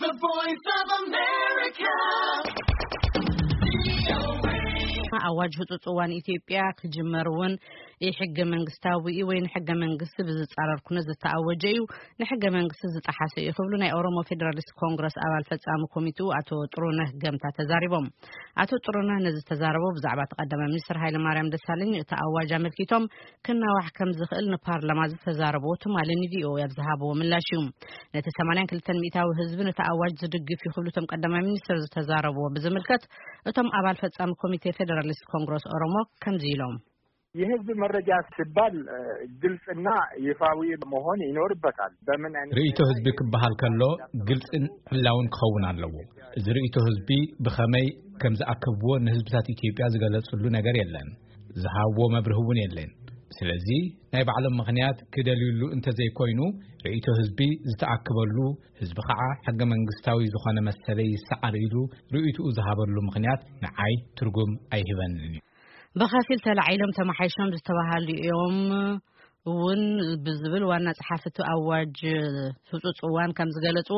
The Voice of America. ኣዋጅ ህጹጽ እዋን ኢትዮጵያ ክጅመር እውን ሕገ መንግስታዊ እዩ ወይ ንሕገ መንግስቲ ብዝጻረር ኩነት ዝተኣወጀ እዩ፣ ንሕገ መንግስቲ ዝጠሓሰ እዩ ክብሉ ናይ ኦሮሞ ፌዴራሊስት ኮንግረስ ኣባል ፈጻሚ ኮሚቴኡ ኣቶ ጥሩነህ ገምታ ተዛሪቦም። ኣቶ ጥሩነህ ነዚ ዝተዛረቦ ብዛዕባ እቲ ቀዳማይ ሚኒስትር ሃይለማርያም ደሳለኝ እቲ ኣዋጅ ኣመልኪቶም ክናዋሕ ከም ዝኽእል ንፓርላማ ዝተዛረቦ ትማሊ ንቪኦኤ ኣብ ዝሃብዎ ምላሽ እዩ። ነቲ ሰማንያን ክልተን ሚእታዊ ህዝቢ ነቲ ኣዋጅ ዝድግፍ እዩ ክብሉ እቶም ቀዳማይ ሚኒስትር ዝተዛረብዎ ብዝምልከት እቶም ኣባል ፈጻሚ ኮሚቴ ፌዴራሊስት ኮንግረስ ኦሮሞ ከምዚ ኢሎም። የህዝብ መረጃ ሲባል ግልጽና ይፋዊ መሆን ይኖርበታል። በምን አይነት ርእይቶ ህዝቢ ክበሃል ከሎ ግልጽን ዕላውን ክኸውን ኣለዎ። እዚ ርእይቶ ህዝቢ ብኸመይ ከም ዝኣከብዎ ንህዝብታት ኢትዮጵያ ዝገለጽሉ ነገር የለን። ዝሃብዎ መብርህ እውን የለን። ስለዚ ናይ ባዕሎም ምኽንያት ክደልዩሉ እንተዘይኮይኑ ርእይቶ ህዝቢ ዝተኣከበሉ ህዝቢ ከዓ ሕገ መንግስታዊ ዝኾነ መሰለይ ይሰዓር ኢሉ ርእይትኡ ዝሃበሉ ምኽንያት ንዓይ ትርጉም ኣይህበንን እዩ። ብኸፊል ተላዒሎም ተመሓይሾም ዝተባሃሉ እዮም እውን ብዝብል ዋና ጸሓፊ እቲ ኣዋጅ ህጹጽ እዋን ከም ዝገለጹ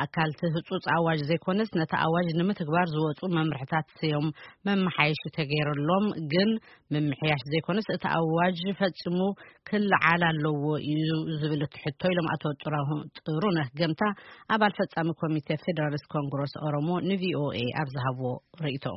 ኣካልቲ ህጹጽ ኣዋጅ ዘይኮነስ ነቲ ኣዋጅ ንምትግባር ዝወጹ መምርሕታት እዮም መመሓየሺ ተገይርሎም፣ ግን ምምሕያሽ ዘይኮነስ እቲ ኣዋጅ ፈጺሙ ክለዓል ኣለዎ እዩ ዝብል እቲ ሕቶ ኢሎም ኣቶ ጥራሁ-፣ ጥሩነህ ገምታ ኣባል ፈጻሚ ኮሚቴ ፌዴራሊስት ኮንግረስ ኦሮሞ ንቪኦኤ ኣብ ዝሃብዎ ርእይቶ።